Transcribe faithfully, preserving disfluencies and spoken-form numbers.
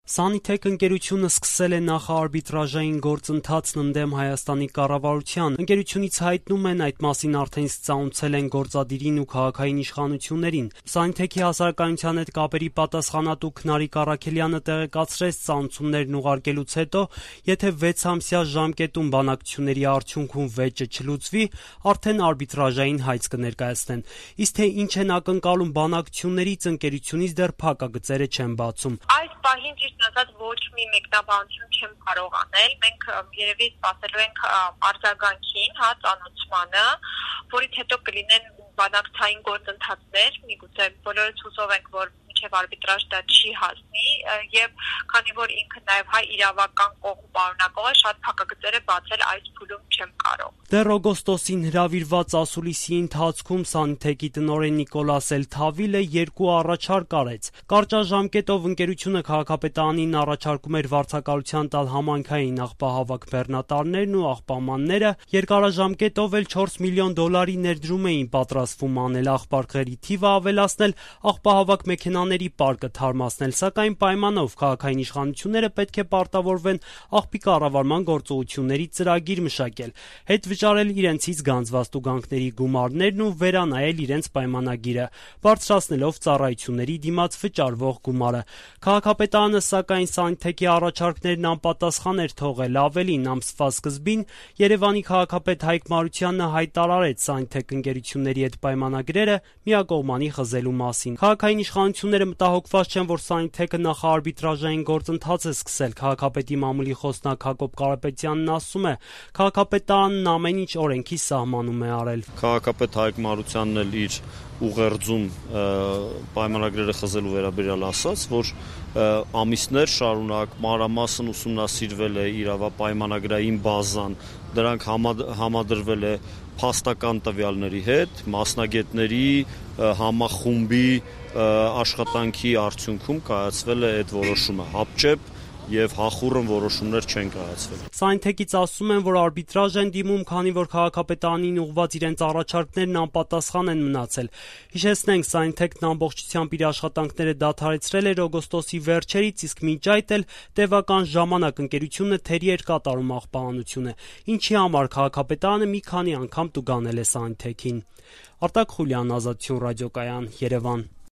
Սանիթեք ընկերությունը սկսել է նախարբիտրաժային գործընթացն ընդդեմ Հայաստանի կառավարության։ Ընկերությունից հայտնում են, այդ մասին արդեն իսկ ծանոթացել են գործադիրին ու քաղաքային իշխանություններին։ Սանիթեքի հասարակայնության հետ կապերի պատասխանատու Քնարիկ Առաքելյանը տեղեկացրեց, ծանոթություններն ուղարկելուց հետո, եթե վեցամսյա ժամկետում բանակցությունների արդյունքում վեճը չլուծվի, արդեն արբիտրաժային հայց կներկայացնեն։ Իսկ թե ինչ են ակնկալում բանակցություններից, ընկերությունից դեռ փակագծերը չեն բացում։ Այս պահին ճիշտ ասած ոչ մի մեկնաբանություն չեմ կարող անել։ Մենք երևի սպասելու ենք արձագանքին, հա, ծանոթմանը, որից հետո կլինեն բանակցային գործընթացներ, միգուցե բոլորս հուսով ենք, որ մինչև արբիտրաժ դա չի հասնի, եւ քանի որ ինքը նաեւ հայ իրավական կողմ պարունակող է, շատ փակագծեր է բացել այս փուլում չեմ կարող։ Դեռ օգոստոսին հրավիրված ասուլիսի ընթացքում Սանիթեքի տնօրեն Նիկոլաս Էլ-Թավիլը երկու առաջարկ արեց։ Կարճաժամկետով ընկերությունը քաղաքապետարանին առաջարկում էր վարձակալության տալ համայնքային աղբահավաք բեռնատարներն ու աղբամանները, երկարաժամկետով էլ չորս միլիոն դոլարի ներդրում էին պատրաստվում անել, աղբարկղերի թիվը ավելացնել, աղբահավաք մեքենաների պարկը թարմացնել, սակայն պայմանով քաղաքային իշխանությունները պետք է պարտավորվեն աղբի կառավարման գործողությունների ծրագիր մշակել, հետ վճարել իրենցից գանձված տուգանքների գումարներն ու վերանայել իրենց պայմանագիրը, բարձրացնելով ծառայությունների դիմաց վճարվող գումարը։ Քաղաքապետարանը, սակայն, Սանիթեքի առաջարկներն անպատասխան էր թողել, ավելին, ամսվա սկզբին Երևանի քաղաքապետ Հայկ Մարությանը հայտարարեց Սանիթեք ընկերությունների հետ պայմանագրերը միակողմանի խզելու մասին։ Քաղաքային իշխանությունները մտահոգված չեն, որ Սանիթեքը նախարբիտրաժային գործընթաց է սկսել։ Քաղաքապետի մամուլի խոսնակ Հակոբ Կարապետյանն ասում է, քաղաքապետարանն ամեն ինչ օրենքի սահմանում է արել։ Քաղաքապետ Հայկ Մարությանն էլ իր ուղերձում պայմանագրերը խզելու վերաբերյալ ասաց, որ ամիսներ շարունակ մանրամասն ուսումնասիրվել է իրավապայմանագրային բազան, դրանք համադրվել է փաստական տվյալների հետ, մասնագետների համախումբի աշխատանքի արդյունքում կայացվել է այդ որոշումը, հապճեպ եւ հախուռն որոշումներ չեն կայացվել։ Սանիթեկից ասում են, որ արբիտրաժ են դիմում, քանի որ քաղաքապետարանին ուղղված իրենց առաջարկներն անպատասխան են մնացել։ Հիշեցնենք, Սանիթեկն ամբողջությամբ իր աշխատանքները դադարեցրել էր օգոստոսի վերջերից, իսկ մինչ այդ էլ տևական ժամանակ ընկերությունը թերի էր կատարում աղբահանությունը, ինչի համար քաղաքապետարանը մի քանի անգամ տուգանել է Սանիթեքին։ Արտակ Խուլյան, Ազատություն ռադիոկայան, Երևան։